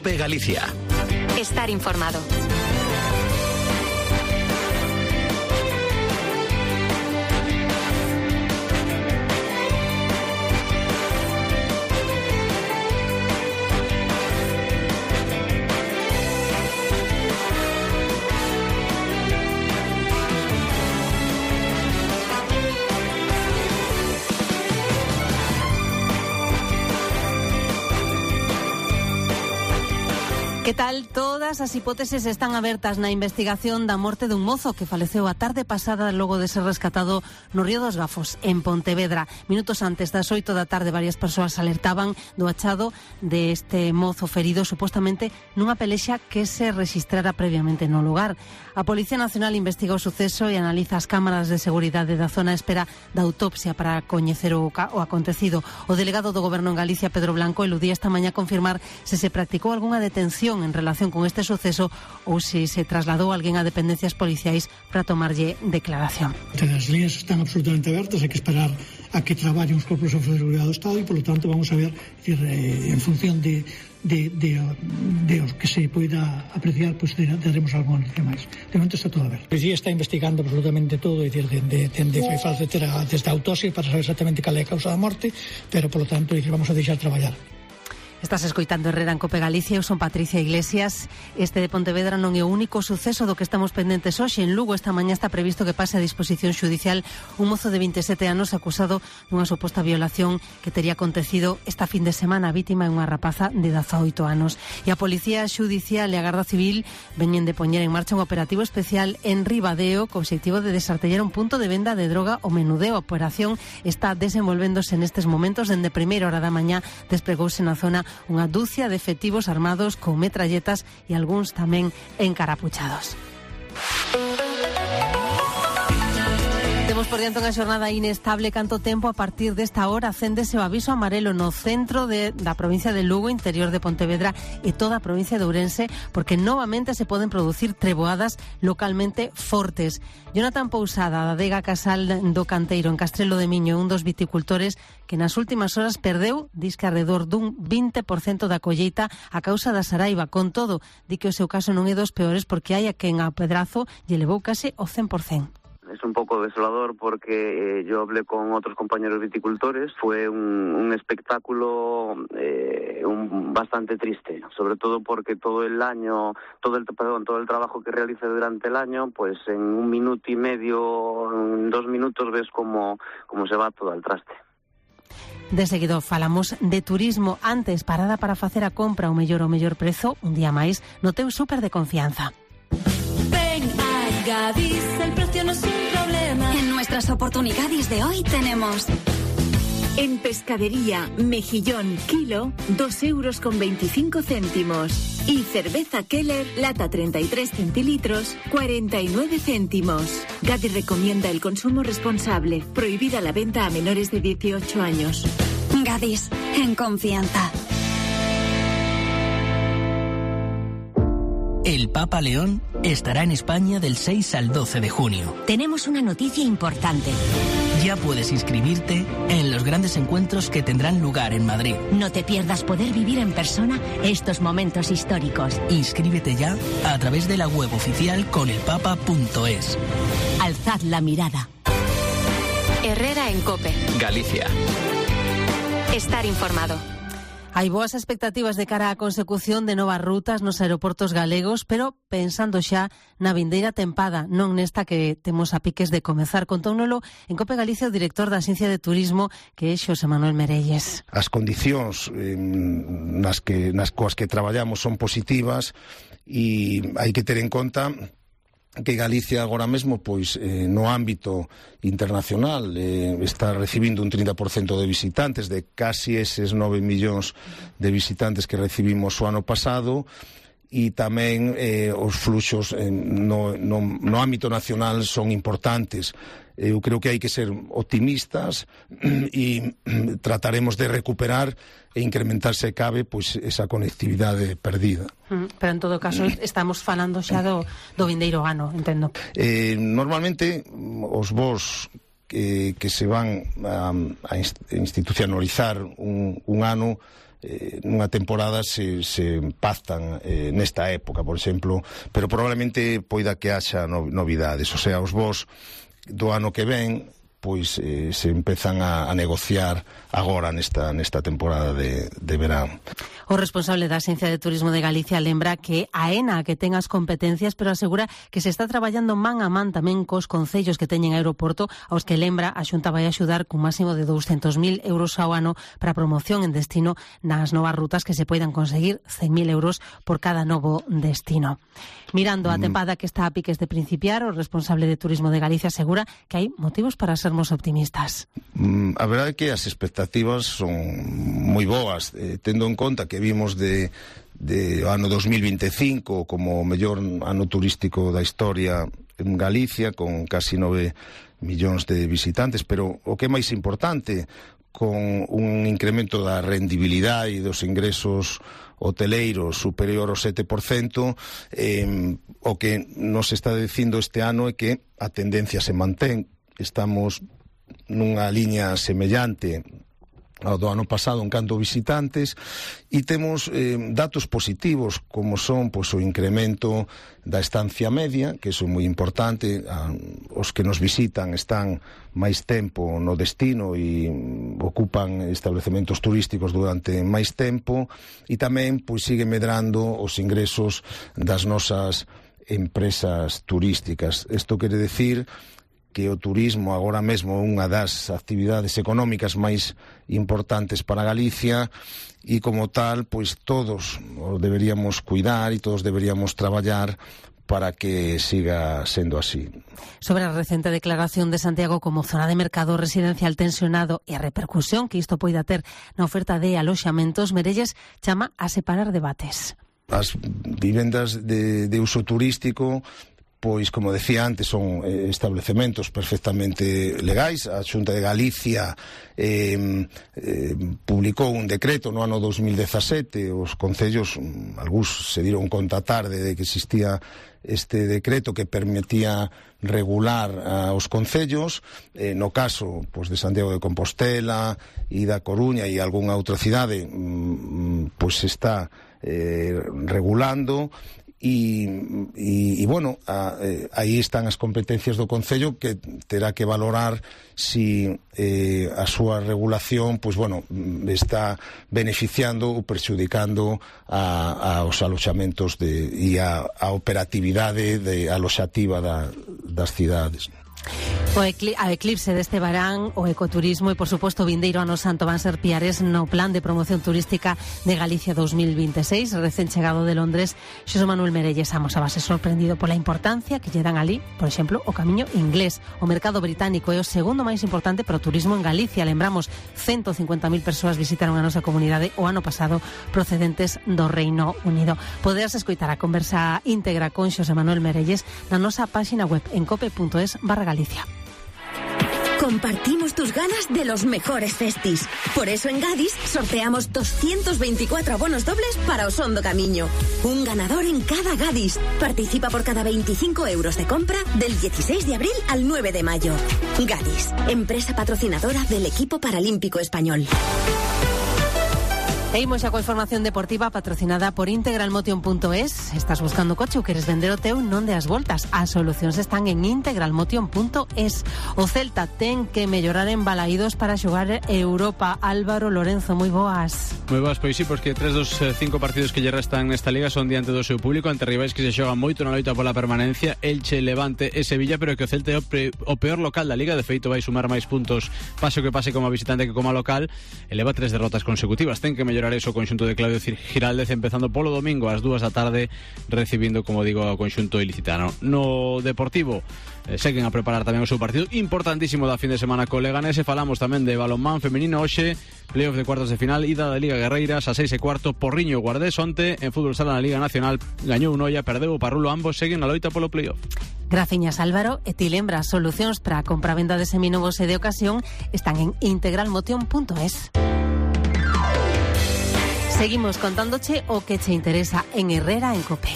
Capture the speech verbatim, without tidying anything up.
COPE Galicia. Estar informado. Que tal? Todas as hipóteses están abertas na investigación da morte dun mozo que faleceu a tarde pasada logo de ser rescatado no Río dos Gafos, en Pontevedra. Minutos antes das oito da tarde, varias persoas alertaban do achado deste mozo ferido supostamente nunha pelexa que se registrara previamente no lugar. A Policía Nacional investiga o suceso e analiza as cámaras de seguridade da zona a espera da autopsia para coñecer o, o acontecido. O delegado do Goberno en Galicia, Pedro Blanco, eludía esta mañá confirmar se se practicou algunha detención en relación con este suceso ou se se trasladou alguén a dependencias policiais para tomarlle declaración. As líneas están absolutamente abertas, hai que esperar a que traballen os corpos de seguridade do Estado e, polo tanto, vamos a ver decir, eh, en función de, de, de, de os que se poida apreciar, pues daremos alguna noticia máis. De momento está todo aberto. A policía está investigando absolutamente todo, é dicir, de, de, de, de, de, desde a autopsia para saber exactamente cal é a causa da morte, pero, polo tanto, dicir, vamos a deixar traballar. Estás escoitando Herrera en Cope Galicia. Eu son Patricia Iglesias. Este de Pontevedra non é o único suceso do que estamos pendentes hoxe. En Lugo esta mañá está previsto que pase a disposición xudicial un mozo de vinte e sete anos acusado dunha suposta violación que tería acontecido esta fin de semana. A vítima é unha rapaza de dezaoito anos. E a Policía Xudicial e a Garda Civil veñen de poñer en marcha un operativo especial en Ribadeo co obxectivo de desartellar un punto de venda de droga o menudeo. A operación está desenvolvéndose nestes momentos. Dende primeira hora da mañá despregouse na zona unha dúcia de efectivos armados con metralletas e algúns tamén encarapuchados. Temos por diante unha xornada inestable. Canto tempo a partir desta hora acéndese o aviso amarelo no centro de, da provincia de Lugo, interior de Pontevedra e toda a provincia de Ourense, porque novamente se poden producir treboadas localmente fortes. Jonathan Pousada, da Adega Casal do Canteiro en Castrelo de Miño, un dos viticultores que nas últimas horas perdeu, disque alrededor dun vinte por cento da colleita a causa da saraiva. Con todo, di que o seu caso non é dos peores porque hai a quen a pedrazo lle levou case o cen por cento. Es un poco desolador porque eh, yo hablé con otros compañeros viticultores. Fue un, un espectáculo eh, un, bastante triste, sobre todo porque todo el año, todo el perdón, todo el trabajo que realice durante el año, pues en un minuto y medio, en dos minutos ves cómo, cómo se va todo al traste. De seguido falamos de turismo. Antes, parada para facer a compra o mellor o mellor prezo, un día máis, no teu súper de confianza. Ven a Gadis, el precio no es un problema. En nuestras oportunidades de hoy tenemos... En pescadería, mejillón, kilo, dos euros con veinticinco céntimos. Y cerveza Keller, lata treinta y tres centilitros, cuarenta y nueve céntimos. Gadis recomienda el consumo responsable. Prohibida la venta a menores de dieciocho años. Gadis, en confianza. El Papa León estará en España del seis al doce de junio. Tenemos una noticia importante. Ya puedes inscribirte en los grandes encuentros que tendrán lugar en Madrid. No te pierdas poder vivir en persona estos momentos históricos. Inscríbete ya a través de la web oficial conelpapa punto es. Alzad la mirada. Herrera en Cope Galicia. Estar informado. Hai boas expectativas de cara á consecución de novas rutas nos aeroportos galegos, pero pensando xa na vindeira tempada, non nesta que temos a piques de comezar. Contóunolo en Cope Galicia o director da Axencia de Turismo, que é Xosé Manuel Merelles. As condicións eh, nas que nas coas que traballamos son positivas e hai que ter en conta que Galicia agora mesmo, pois, eh, no ámbito internacional eh, está recibindo un trinta por cento de visitantes, de casi eses nove millóns de visitantes que recibimos o ano pasado, e tamén eh, os fluxos eh, no, no, no ámbito nacional son importantes. Eu creo que hai que ser optimistas e trataremos de recuperar e incrementar, se cabe, pois esa conectividade perdida. Pero en todo caso estamos falando xa do, do vindeiro ano, entendo. Eh, normalmente os voos que, que se van a, a institucionalizar un, un ano eh, nunha temporada se, se pactan eh, nesta época, por exemplo, pero probablemente poida que haxa no, novidades, o sea, os vos do ano que ven pois eh, se empezan a, a negociar agora nesta, nesta temporada de, de verán. O responsable da Axencia de Turismo de Galicia lembra que AENA que ten as competencias, pero asegura que se está traballando man a man tamén cos concellos que teñen aeroporto, aos que lembra a Xunta vai axudar cun máximo de douscentos mil euros ao ano para promoción en destino nas novas rutas que se poidan conseguir cen mil euros por cada novo destino. Mirando a tempada que está a piques de principiar, o responsable de Turismo de Galicia asegura que hai motivos para sermos optimistas. Mm, a verdade é que as expectativas son moi boas, eh, tendo en conta que vimos de, de ano dos mil vinte e cinco como o mellor ano turístico da historia en Galicia, con casi nove millóns de visitantes, pero o que é máis importante, con un incremento da rendibilidade e dos ingresos hoteleiros superior ao sete por cento, eh, o que nos está dicindo este ano é que a tendencia se mantén. Estamos nunha liña semellante ao do ano pasado en canto a visitantes e temos eh, datos positivos como son pois, o incremento da estancia media, que é moi importante. Ah, os que nos visitan están máis tempo no destino e ocupan establecementos turísticos durante máis tempo e tamén pois, sigue medrando os ingresos das nosas empresas turísticas. Isto quere decir que o turismo agora mesmo é unha das actividades económicas máis importantes para Galicia e como tal, pois todos o deberíamos cuidar e todos deberíamos traballar para que siga sendo así. Sobre a recente declaración de Santiago como zona de mercado residencial tensionado e a repercusión que isto poida ter na oferta de aloxamentos, Merelles chama a separar debates. As vivendas de, de uso turístico, pois, como decía antes, son eh, establecementos perfectamente legais. A Xunta de Galicia eh, eh, publicou un decreto no ano dos mil dezasete. Os concellos, algúns se diron conta tarde de que existía este decreto que permitía regular uh, os concellos. Eh, no caso pois, de Santiago de Compostela e da Coruña e algunha outra cidade, mm, pois está eh, regulando. E, e, e bueno, a, eh, aí están as competencias do Concello, que terá que valorar si eh, a súa regulación pois, bueno, está beneficiando ou perxudicando a, aos aloxamentos de, e a, a operatividade de aloxativa da, das cidades. O ecli a eclipse deste verán, o ecoturismo e, por suposto, o vindeiro ano santo van ser piares no plan de promoción turística de Galicia dos mil veintiséis. Recén chegado de Londres, Xosé Manuel Merelles amosabase sorprendido pola importancia que lle dan ali, por exemplo, o camiño inglés. O mercado británico é o segundo máis importante para o turismo en Galicia. Lembramos, ciento cincuenta mil persoas visitaron a nosa comunidade o ano pasado procedentes do Reino Unido. Poderás escoitar a conversa íntegra con Xosé Manuel Merelles na nosa páxina web en cope punto es barra Galicia. Compartimos tus ganas de los mejores festis. Por eso en Gadis sorteamos doscientos veinticuatro abonos dobles para Osondo Camiño. Un ganador en cada Gadis. Participa por cada veinticinco euros de compra del dieciséis de abril al nueve de mayo. Gadis, empresa patrocinadora del equipo paralímpico español. E imos xa coa información deportiva patrocinada por integralmotion punto es. Estás buscando coche ou queres vender o teu? Non deas voltas. As solucións están en integralmotion punto es. O Celta ten que mellorar en Balaídos para xogar Europa. Álvaro Lorenzo, moi boas. Moi boas, pois sí, pois que tres dos cinco partidos que lle restan nesta liga son diante do seu público, ante rivais que se xogan moito na loita pola permanencia, Elche, Levante e Sevilla, pero que o Celta é o, pre, o peor local da liga. De feito vai sumar máis puntos pase o que pase como visitante que como local. Eleva tres derrotas consecutivas. Ten que mellorar eso o conxunto de Claudio Giraldez, empezando polo domingo ás dúas da tarde, recibindo, como digo, o conxunto ilicitano. No Deportivo eh, seguen a preparar tamén o seu partido importantísimo da fin de semana co Leganés. E falamos tamén de balonmán femenino hoxe, playoff de cuartos de final, ida da Liga Guerreiras a seis e cuarto, Porriño Guardés. Onte en fútbol sala na Liga Nacional gañou un Noia, perdeu o Parrulo, ambos seguen na loita polo playoff. Graciñas, Álvaro. E ti lembras, solucións para a compra-venda de seminovos e de ocasión están en integralmotion punto es. Seguimos contándoche o que che interesa en Herrera en Cope.